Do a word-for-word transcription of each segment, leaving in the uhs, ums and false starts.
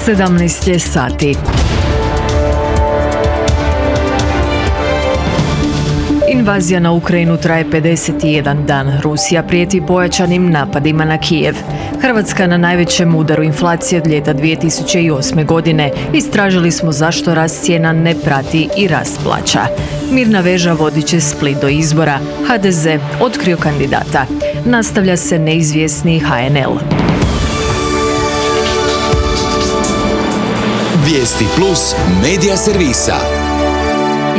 sedamnaest je sati. Invazija na Ukrajinu traje pedeset jedan dan. Rusija prijeti pojačanim napadima na Kijev. Hrvatska na najvećem udaru inflacije od ljeta dvije tisuće osme. godine. Istražili smo zašto rast cijena ne prati i rast plaća. Mirna veža vodit će Split do izbora. ha de ze otkrio kandidata. Nastavlja se neizvjesni ha en el. Vijesti plus medija servisa.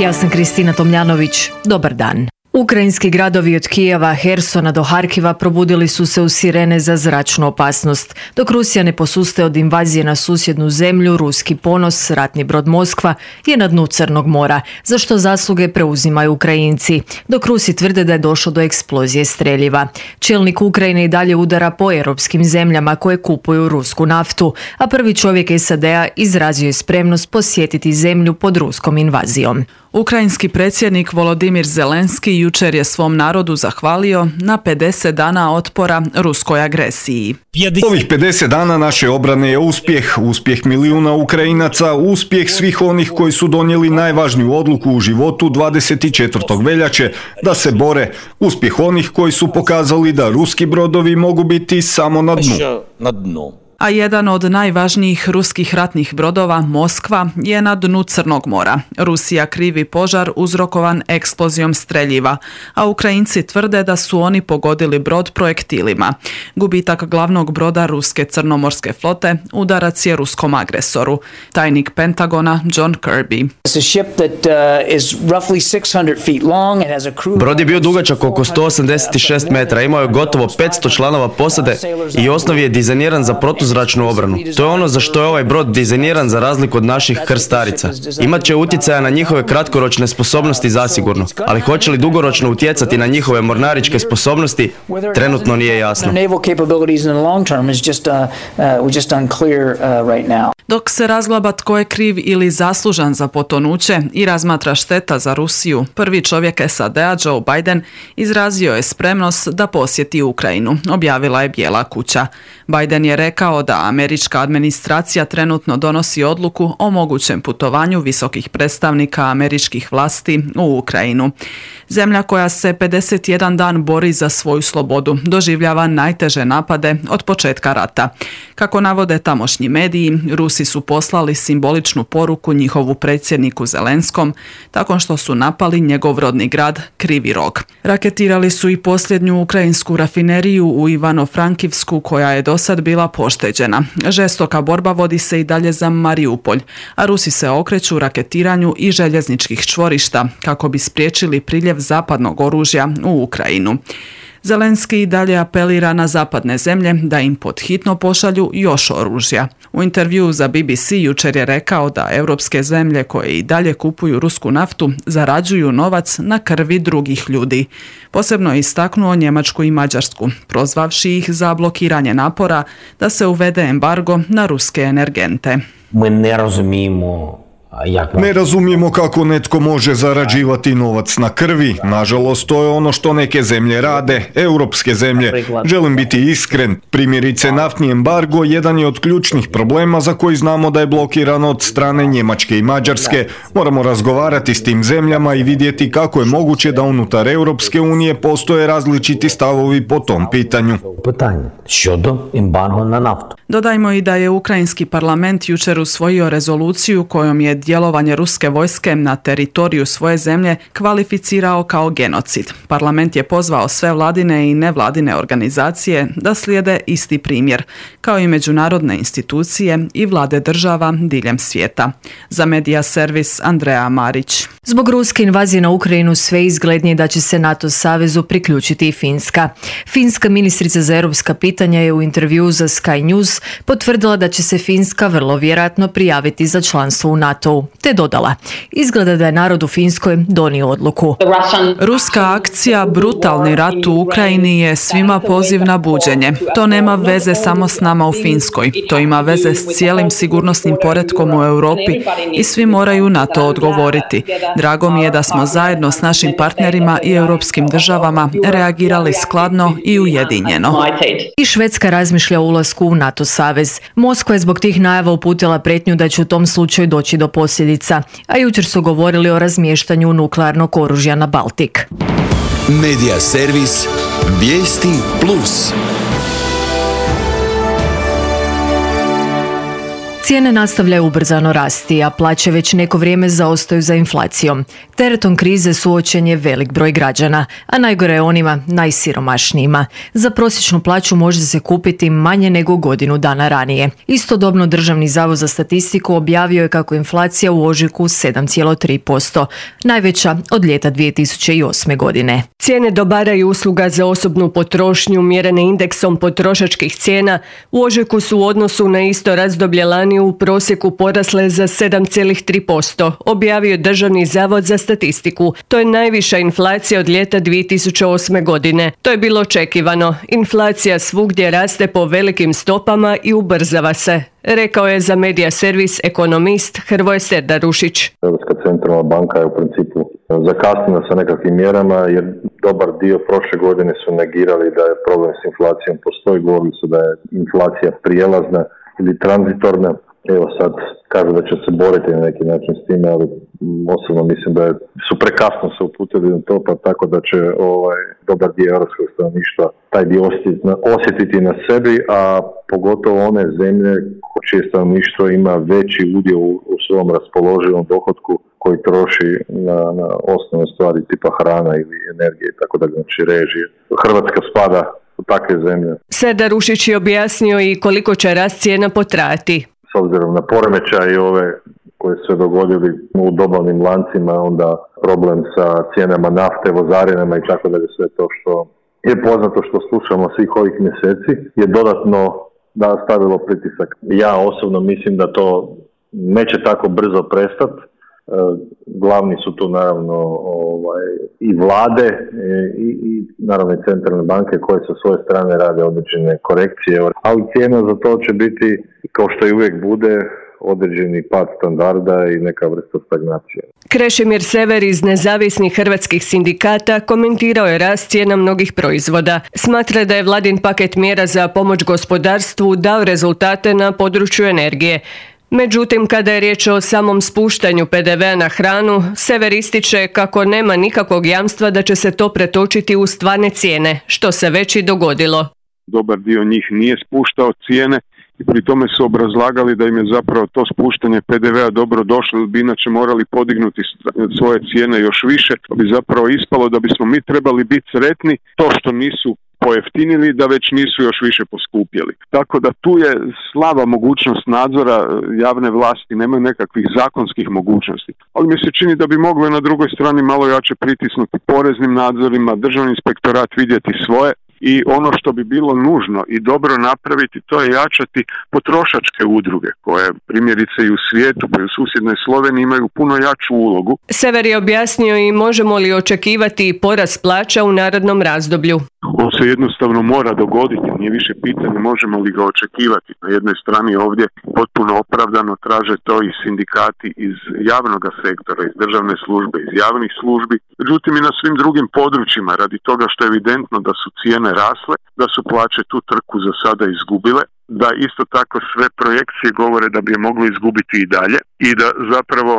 Ja sam Kristina Tomljanović. Dobar dan. Ukrajinski gradovi od Kijeva, Hersona do Harkiva probudili su se u sirene za zračnu opasnost. Dok Rusija ne posustaje od invazije na susjednu zemlju, ruski ponos, ratni brod Moskva, je na dnu Crnog mora, za što zasluge preuzimaju Ukrajinci, dok Rusi tvrde da je došlo do eksplozije streljiva. Čelnik Ukrajine i dalje udara po europskim zemljama koje kupuju rusku naftu, a prvi čovjek es a de a izrazio je spremnost posjetiti zemlju pod ruskom invazijom. Ukrajinski predsjednik Volodimir Zelenski jučer je svom narodu zahvalio na pedeset dana otpora ruskoj agresiji. Ovih pedeset dana naše obrane je uspjeh, uspjeh milijuna Ukrajinaca, uspjeh svih onih koji su donijeli najvažniju odluku u životu dvadeset četvrtog veljače da se bore, uspjeh onih koji su pokazali da ruski brodovi mogu biti samo na dnu. A jedan od najvažnijih ruskih ratnih brodova, Moskva, je na dnu Crnog mora. Rusija krivi požar uzrokovan eksplozijom streljiva, a Ukrajinci tvrde da su oni pogodili brod projektilima. Gubitak glavnog broda ruske crnomorske flote udarac je ruskom agresoru. Tajnik Pentagona John Kirby. Brod je bio dugačak oko sto osamdeset šest metara, imao je gotovo petsto članova posade i u osnovi je dizajniran za protuzračnu obranu. To je ono za što je ovaj brod dizajniran za razliku od naših krstarica. Imat će utjecaja na njihove kratkoročne sposobnosti zasigurno, ali hoće li dugoročno utjecati na njihove mornaričke sposobnosti, trenutno nije jasno. Dok se razglaba tko je kriv ili zaslužan za potonuće i razmatra šteta za Rusiju, prvi čovjek es a de a Joe Biden izrazio je spremnost da posjeti Ukrajinu, objavila je Bijela kuća. Biden je rekao da američka administracija trenutno donosi odluku o mogućem putovanju visokih predstavnika američkih vlasti u Ukrajinu. Zemlja koja se pedeset jedan dan bori za svoju slobodu doživljava najteže napade od početka rata. Kako navode tamošnji mediji, Rusi su poslali simboličnu poruku njihovu predsjedniku Zelenskom tako što su napali njegov rodni grad Krivi Rog. Raketirali su i posljednju ukrajinsku rafineriju u Ivano-Frankivsku koja je dosad bila pošteđena. Žestoka borba vodi se i dalje za Mariupolj, a Rusi se okreću raketiranju i željezničkih čvorišta kako bi spriječili priljev zapadnog oružja u Ukrajinu. Zelenski i dalje apelira na zapadne zemlje da im pod hitno pošalju još oružja. U intervjuu za be be ce jučer je rekao da europske zemlje koje i dalje kupuju rusku naftu zarađuju novac na krvi drugih ljudi. Posebno je istaknuo Njemačku i Mađarsku, prozvavši ih za blokiranje napora da se uvede embargo na ruske energente. Mi ne razumijemo Ne razumijemo kako netko može zarađivati novac na krvi. Nažalost, to je ono što neke zemlje rade, europske zemlje. Želim biti iskren. Primjerice, naftni embargo jedan je od ključnih problema za koji znamo da je blokiran od strane Njemačke i Mađarske. Moramo razgovarati s tim zemljama i vidjeti kako je moguće da unutar Europske unije postoje različiti stavovi po tom pitanju. Pitanje щодо embargo na naftu. Dodajmo i da je ukrajinski parlament jučer usvojio rezoluciju kojom je djelovanje ruske vojske na teritoriju svoje zemlje kvalificirao kao genocid. Parlament je pozvao sve vladine i nevladine organizacije da slijede isti primjer, kao i međunarodne institucije i vlade država diljem svijeta. Za Medija servis Andreja Marić. Zbog ruske invazije na Ukrajinu sve izglednije da će se NATO savezu priključiti i Finska. Finska ministrica za europska pitanja je u intervjuu za Sky News potvrdila da će se Finska vrlo vjerojatno prijaviti za članstvo u NATO-u, te dodala: izgleda da je narod u Finskoj donio odluku. Ruska akcija Brutalni rat u Ukrajini je svima poziv na buđenje. To nema veze samo s nama u Finskoj. To ima veze s cijelim sigurnosnim poretkom u Europi i svi moraju na to odgovoriti. Drago mi je da smo zajedno s našim partnerima i europskim državama reagirali skladno i ujedinjeno. I Švedska razmišlja o ulasku u NATO savez. Moskva je zbog tih najava uputila prijetnju da će u tom slučaju doći do posljedica, a jučer su govorili o razmještanju nuklearnog oružja na Baltik. Medija servis Vijesti Plus. Cijene nastavljaju ubrzano rasti, a plaće već neko vrijeme zaostaju za inflacijom. Teretom krize suočen je velik broj građana, a najgore je onima najsiromašnijima. Za prosječnu plaću može se kupiti manje nego godinu dana ranije. Istodobno Državni zavod za statistiku objavio je kako inflacija u ožujku sedam zarez tri posto, najveća od ljeta dvije tisuće osme. godine. Cijene dobara i usluga za osobnu potrošnju mjerene indeksom potrošačkih cijena u ožujku su u odnosu na isto razdoblje lani u prosjeku porasle za sedam zarez tri posto, objavio Državni zavod za statistiku. To je najviša inflacija od ljeta dvije tisuće osme. godine. To je bilo očekivano. Inflacija svugdje raste po velikim stopama i ubrzava se, rekao je za Medija servis ekonomist Hrvoje Serdarušić. Europska centralna banka je u principu zakasnila sa nekakvim mjerama jer dobar dio prošle godine su negirali da je problem s inflacijom postoji, govorili su da je inflacija prijelazna ili tranzitorna. Evo sad kažu da će se boriti na neki način s time, ali osobno mislim da je, su prekasno se uputili na to, pa tako da će ovaj dobar dio europskog stanovništva taj dio osjetiti na, osjetiti na sebi, a pogotovo one zemlje čije stanovništvo ima veći udio u, u svom raspoloživom dohotku koji troši na, na osnovne stvari tipa hrana ili energije i tako da, znači režije. Hrvatska spada u takve zemlje. Serdarušić je objasnio i koliko će rast cijena potrajati. S obzirom na poremećaje ove koje su se dogodili u dobavnim lancima, onda problem sa cijenama nafte, vozarinama i tako dalje, sve to što je poznato što slušamo svih ovih mjeseci je dodatno da stavilo pritisak. Ja osobno mislim da to neće tako brzo prestati. Glavni su tu naravno ovaj, i vlade i, i naravno i centralne banke koje sa svoje strane rade određene korekcije, ali cijena za to će biti, kao što i uvijek bude, određeni pad standarda i neka vrsta stagnacije. Krešimir Sever iz nezavisnih hrvatskih sindikata komentirao je rast cijena mnogih proizvoda. Smatra da je vladin paket mjera za pomoć gospodarstvu dao rezultate na području energije. Međutim, kada je riječ o samom spuštanju pe de vea na hranu, Sever ističe kako nema nikakvog jamstva da će se to pretočiti u stvarne cijene, što se već i dogodilo. Dobar dio njih nije spuštao cijene i pri tome su obrazlagali da im je zapravo to spuštanje pe de vea dobro došlo, jer bi inače morali podignuti svoje cijene još više, pa bi zapravo ispalo da bismo mi trebali biti sretni to što nisu pojeftinili, da već nisu još više poskupjeli. Tako da tu je slaba mogućnost nadzora javne vlasti, nemaju nekakvih zakonskih mogućnosti. Ali mi se čini da bi moglo na drugoj strani malo jače pritisnuti poreznim nadzorima, državni inspektorat vidjeti svoje. I ono što bi bilo nužno i dobro napraviti, to je jačati potrošačke udruge koje primjerice i u svijetu, pa i u susjednoj Sloveniji imaju puno jaču ulogu. Sever je objasnio i možemo li očekivati porast plaća u narednom razdoblju. On se jednostavno mora dogoditi, nije više pitanje možemo li ga očekivati. Na jednoj strani ovdje potpuno opravdano traže to i sindikati iz javnog sektora, iz državne službe, iz javnih službi. Međutim i na svim drugim područjima, radi toga što je evidentno da su cijene rasle, da su plaće tu trku za sada izgubile, da isto tako sve projekcije govore da bi je mogli izgubiti i dalje i da zapravo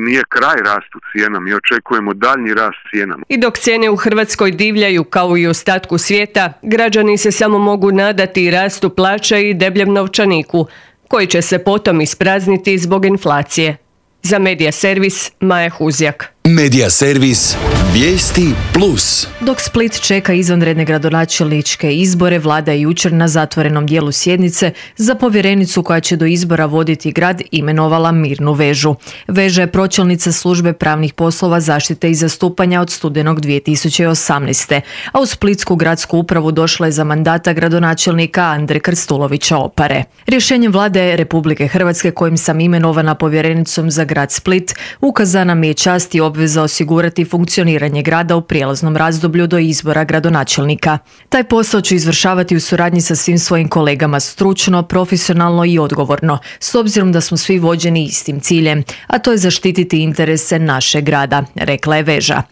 nije kraj rastu cijena, mi očekujemo daljnji rast cijenama. I dok cijene u Hrvatskoj divljaju kao i u ostatku svijeta, građani se samo mogu nadati rastu plaća i debljem novčaniku, koji će se potom isprazniti zbog inflacije. Za Medija servis Maja Huzjak. Medija servis Vijesti Plus. Dok Split čeka izvanredne gradonačelničke izbore, vlada je jučer na zatvorenom dijelu sjednice za povjerenicu koja će do izbora voditi grad imenovala Mirnu Vežu. Veža je pročelnica službe pravnih poslova, zaštite i zastupanja od studenog dvije tisuće osamnaeste. A u Splitsku gradsku upravu došla je za mandata gradonačelnika Andre Krstulovića Opare. Rješenjem vlade Republike Hrvatske kojim sam imenovana povjerenicom za grad Split ukazana mi je čast i obveza osigurati funkcioniranje grada u prijelaznom razdoblju do izbora gradonačelnika. Taj posao ću izvršavati u suradnji sa svim svojim kolegama stručno, profesionalno i odgovorno, s obzirom da smo svi vođeni istim ciljem, a to je zaštititi interese našeg grada, rekla je Veža.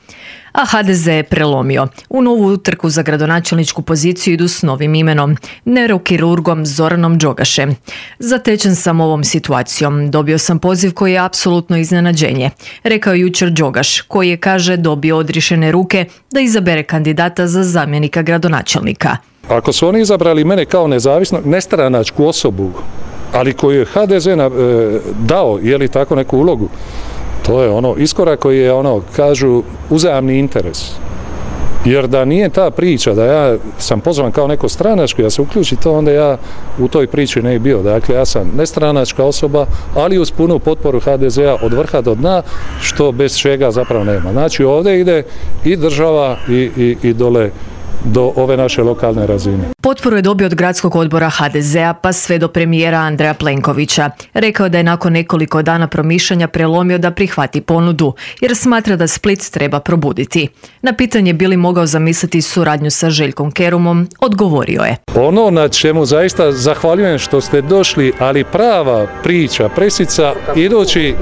A ha de ze je prelomio. U novu utrku za gradonačelničku poziciju idu s novim imenom, neurokirurgom Zoranom Đogašem. Zatečen sam ovom situacijom. Dobio sam poziv koji je apsolutno iznenađenje, rekao je jučer Đogaš, koji je, kaže, dobio odriješene ruke da izabere kandidata za zamjenika gradonačelnika. Ako su oni izabrali mene kao nezavisnu, nestranačku osobu, ali koju je ha de ze dao, je li tako, neku ulogu, to je ono iskorak koji je, ono, kažu, uzajamni interes. Jer da nije ta priča, da ja sam pozvan kao neko stranačko, ja se uključi to, onda ja u toj priči ne bi bio. Dakle, ja sam nestranačka osoba, ali uz punu potporu ha de zea od vrha do dna, što bez čega zapravo nema. Znači, ovdje ide i država i, i, i dole do ove naše lokalne razine. Potporu je dobio od gradskog odbora ha de zea pa sve do premijera Andreja Plenkovića. Rekao da je nakon nekoliko dana promišljanja prelomio da prihvati ponudu, jer smatra da Split treba probuditi. Na pitanje bi li mogao zamisliti suradnju sa Željkom Kerumom, odgovorio je: Ono na čemu zaista zahvaljujem što ste došli, ali prava priča, presica, idući,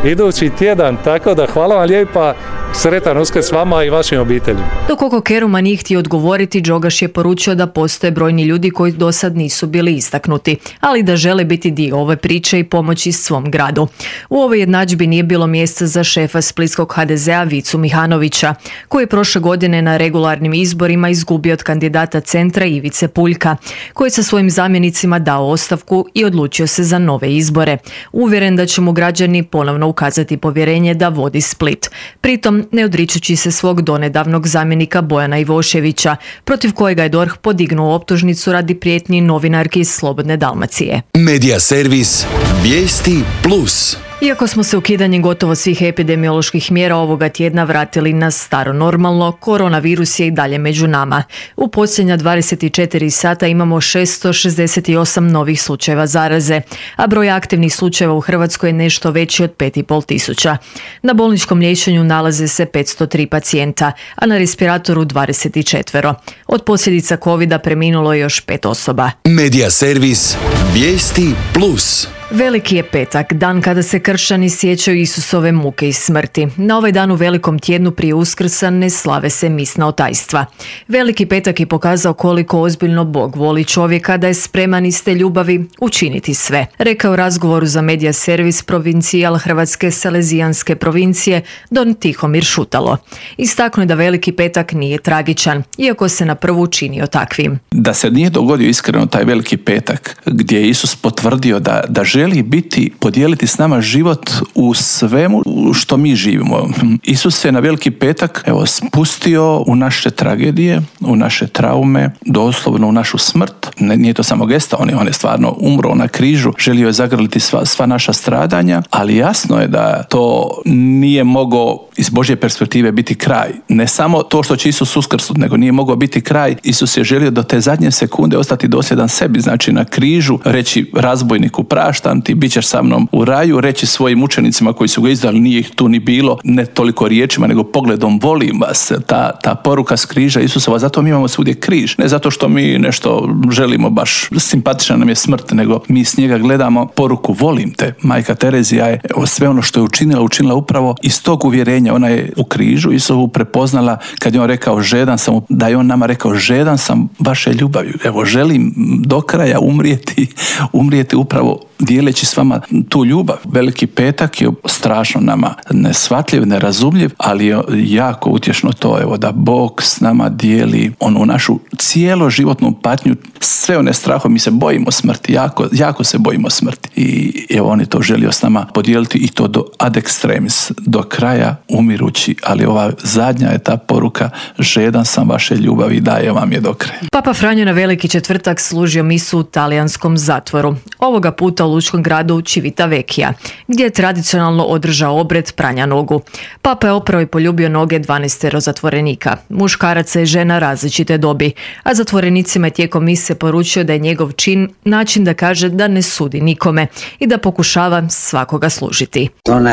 idući tjedan, tako da hvala vam lijepa, sretan Uskrs vama i vašim obiteljima. Dok oko Keruma nije htio odgovoriti, Đogaš je poručio da postoje brojni ljudi koji do sad nisu bili istaknuti, ali da žele biti dio ove priče i pomoći svom gradu. U ovoj jednadžbi nije bilo mjesta za šefa splitskog ha de zea Vicu Mihanovića, koji je prošle godine na regularnim izborima izgubio od kandidata Centra Ivice Puljka, koji je sa svojim zamjenicima dao ostavku i odlučio se za nove izbore, uvjeren da će mu građani ponovno ukazati povjerenje da vodi Split. Pritom ne odričući se svog donedavnog zamjenika Bojana Ivoševića, protiv kojega je D O R H podignuo optužnicu radi prijetnji novinarki iz Slobodne Dalmacije. Medija servis Vijesti plus. Iako smo se ukidanjem gotovo svih epidemioloških mjera ovoga tjedna vratili na staro normalno, koronavirus je i dalje među nama. U posljednja dvadeset četiri sata imamo šesto šezdeset osam novih slučajeva zaraze, a broj aktivnih slučajeva u Hrvatskoj je nešto veći od pet i pol tisuća. Na bolničkom liječenju nalaze se petsto tri pacijenta, a na respiratoru dvadeset četiri. Od posljedica covida preminulo je još pet osoba. Medija servis Vijesti plus. Veliki je petak, dan kada se kršćani sjećaju Isusove muke i smrti. Na ovaj dan u velikom tjednu prije Uskrsa ne slave se misna otajstva. Veliki petak je pokazao koliko ozbiljno Bog voli čovjeka, da je spreman iz te ljubavi učiniti sve, rekao u razgovoru za Medija servis provincijal Hrvatske Salezijanske provincije Don Tihomir Šutalo. Istaknuo je da veliki petak nije tragičan, iako se na prvu činio takvim. Da se nije dogodio iskreno taj veliki petak gdje je Isus potvrdio da, da želi biti, podijeliti s nama život u svemu što mi živimo. Isus se na veliki petak, evo, spustio u naše tragedije, u naše traume, doslovno u našu smrt. Ne, nije to samo gesta, on je, on je stvarno umro na križu, želio je zagrliti sva, sva naša stradanja, ali jasno je da to nije mogao iz Božje perspektive biti kraj. Ne samo to što će Isus uskrsnuti, nego nije mogao biti kraj. Isus je želio do te zadnje sekunde ostati dosljedan sebi, znači na križu reći razbojniku praštam ti, bit ćeš sa mnom u raju, reći svojim učenicima koji su ga izdali, nije ih tu ni bilo, ne toliko riječima, nego pogledom volim vas, ta, ta poruka s križa Isusova, zato mi imamo svugdje križ, ne zato što mi nešto želimo, baš simpatična nam je smrt, nego mi s njega gledamo poruku volim te. Majka Terezija je evo, sve ono što je učinila, učinila upravo iz tog uvjerenja. Ona je u križu Isusovu prepoznala kad je on rekao žedan sam, da je on nama rekao žedan sam vaše ljubavi. Evo, želim do kraja umrijeti, umrijeti upravo dijeleći s vama tu ljubav. Veliki petak je strašno nama neshvatljiv, nerazumljiv, ali je jako utješno to, evo, da Bog s nama dijeli onu našu cijelo životnu patnju, sve one strahove. Mi se bojimo smrti, jako, jako se bojimo smrti. I evo, on je to želio s nama podijeliti i to do ad extremis, do kraja umirući, ali ova zadnja je ta poruka, žedan sam vaše ljubavi, daje vam je do kraja. Papa Franjo na Veliki četvrtak služio misu u talijanskom zatvoru. Ovoga puta u lučkom gradu Civitavecchia, gdje je tradicionalno održao obred pranja nogu. Papa je oprao i poljubio noge dvanaestero zatvorenika, muškaraca i žena različite dobi, a zatvorenicima je tijekom mise poručio da je njegov čin način da kaže da ne sudi nikome i da pokušava svakoga služiti.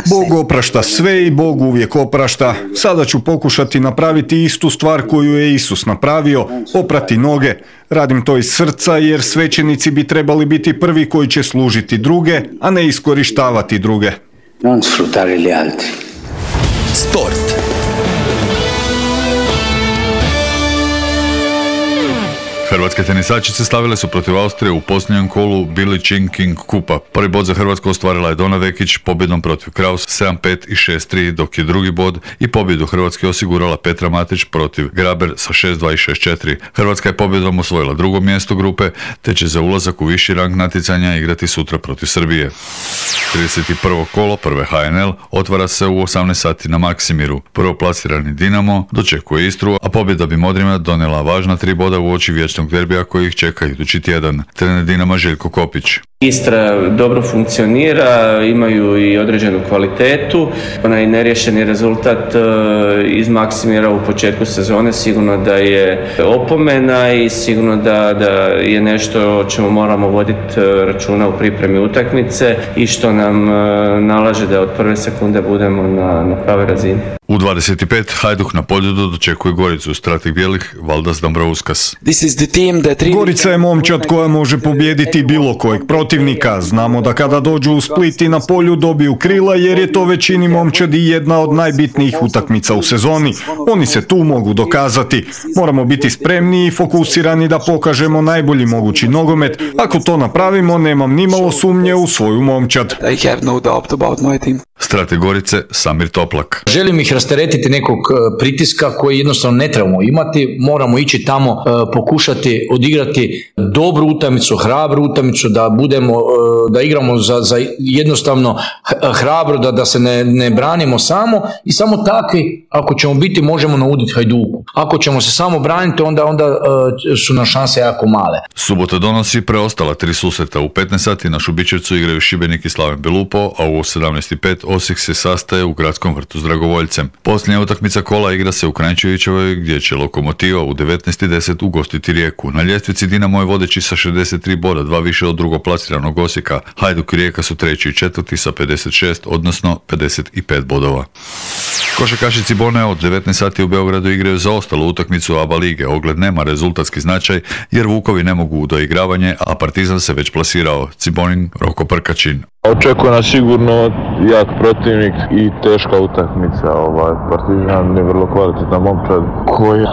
Bog oprašta sve i Bog uvijek uvijek oprašta. Sada ću pokušati napraviti istu stvar koju je Isus napravio, oprati noge. Radim to iz srca jer svećenici bi trebali biti prvi koji će služiti druge, a ne iskorištavati druge. Non sfruttare gli altri. Sport. Hrvatske tenisačice slavile su protiv Austrije u posljednjem kolu Billie Jean King kupa. Prvi bod za Hrvatsku ostvarila je Dona Vekić pobjedom protiv Kraus sedam pet i šest tri, dok je drugi bod i pobjedu Hrvatske osigurala Petra Matić protiv Graber sa šest dva i šest četiri. Hrvatska je pobjedom osvojila drugo mjesto grupe, te će za ulazak u viši rang natjecanja igrati sutra protiv Srbije. trideset prvo kolo prve H N L otvara se u osamnaest sati na Maksimiru. Prvoplasirani Dinamo dočekuje Istru, a pobjeda bi Modrima donijela važna tri boda u oči vječnog derbija koji ih čeka idući tjedan. Trener Dinama Željko Kopić. Istra dobro funkcionira, imaju i određenu kvalitetu. Onaj neriješeni rezultat iz Maksimira u početku sezone sigurno da je opomena i sigurno da, da je nešto o čemu moramo voditi računa u pripremi utakmice i što nam nalaže da od prve sekunde budemo na, na pravoj razini. U dvadeset pet Hajduk na Poljudu dočekuje Goricu, strateg bijelih Valdas Dambrauskas. Gorica je momčad koja može pobijediti bilo kojeg protivnika. Znamo da kada dođu u Split i na polju dobiju krila jer je to većini momčadi jedna od najbitnijih utakmica u sezoni. Oni se tu mogu dokazati. Moramo biti spremni i fokusirani da pokažemo najbolji mogući nogomet. Ako to napravimo, nemam nimalo sumnje u svoju momčad. Strateg Gorice Samir Toplak. Želim ih rasteretiti nekog pritiska koji jednostavno ne trebamo imati. Moramo ići tamo, pokušati odigrati dobru utakmicu, hrabru utakmicu, da budemo, da igramo za, za jednostavno hrabro, da, da se ne, ne branimo samo i samo takvi, ako ćemo biti, možemo nauditi Hajduku. Ako ćemo se samo braniti, onda, onda su nam šanse jako male. Subota donosi preostala tri susreta. U petnaest sati na Šubićevcu igraju Šibenik i Slaven Belupo, a u sedamnaest pet Osijek se sastaje u Gradskom vrtu s Dragovoljcem. Posljednja utakmica kola igra se u Kranjčevićevoj, gdje će Lokomotiva u devetnaest deset ugostiti Rijeku. Na ljestvici Dinamo je vodeći sa šezdeset tri boda, dva više od drugoplasiranog Osijeka. Hajduk i Rijeka su treći i četvrti sa pedeset šest, odnosno pedeset pet bodova. Košarkašici Bonea od devetnaest sati u Beogradu igraju za ostalu utakmicu A B A lige. Ogled nema rezultatski značaj jer Vukovi ne mogu u doigravanje, a Partizan se već plasirao. Cibonin, Roko Prkačin. Očekuje nas sigurno jak protivnik i teška utakmica. Ovaj Partizan je vrlo kvalitetan momčad koji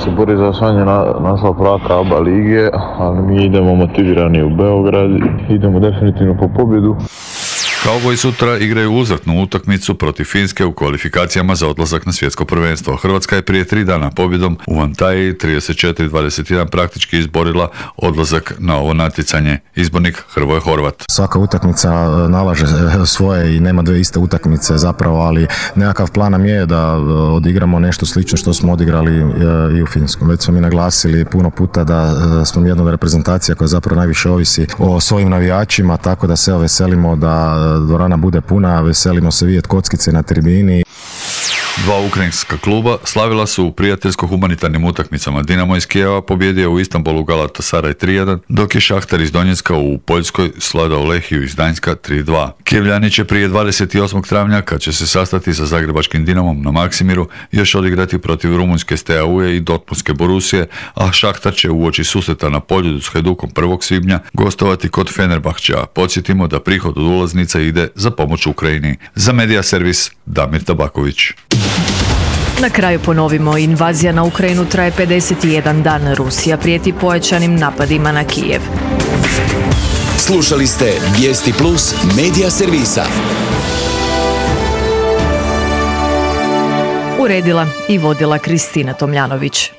se bori za osvajanje na, naslov prvaka A B A lige, ali mi idemo motivirani u Beograd, idemo definitivno po pobjedu. Kauboji sutra igraju uzvratnu utakmicu protiv Finske u kvalifikacijama za odlazak na svjetsko prvenstvo. Hrvatska je prije tri dana pobjedom u Antaliji trideset četiri dvadeset jedan praktički izborila odlazak na ovo natjecanje. Izbornik Hrvoje Horvat. Svaka utakmica nalaže svoje i nema dvije iste utakmice zapravo, ali nekakav plan nam je da odigramo nešto slično što smo odigrali i u Finskom. Već smo mi naglasili puno puta da smo jedna od reprezentacija koja zapravo najviše ovisi o svojim navijačima, tako da se veselimo da dvorana bude puna, veselimo se vidjeti kockice na tribini. Dva ukrajinska kluba slavila su u prijateljsko-humanitarnim utakmicama. Dinamo iz Kijeva pobjedio u Istanbulu Galatasaray tri jedan, dok je Šahtar iz Donjecka u Poljskoj svladao Lehiju iz Gdańska tri dva. Kijevljani će prije dvadeset osmog travnja, kad će se sastati sa zagrebačkim Dinamom na Maksimiru, još odigrati protiv rumunjske Steaue i Dortmundske Borusije, a Šahtar će uoči susreta na Poljudu s Hajdukom prvog svibnja gostovati kod Fenerbahčea. Podsjetimo da prihod od ulaznica ide za pomoć Ukrajini. Za Medija servis Damir Tabaković. Na kraju ponovimo, invazija na Ukrajinu traje pedeset jedan dan. Rusija prijeti pojačanim napadima na Kijev. Slušali ste Vijesti Plus Medija servisa. Uredila i vodila Kristina Tomljanović.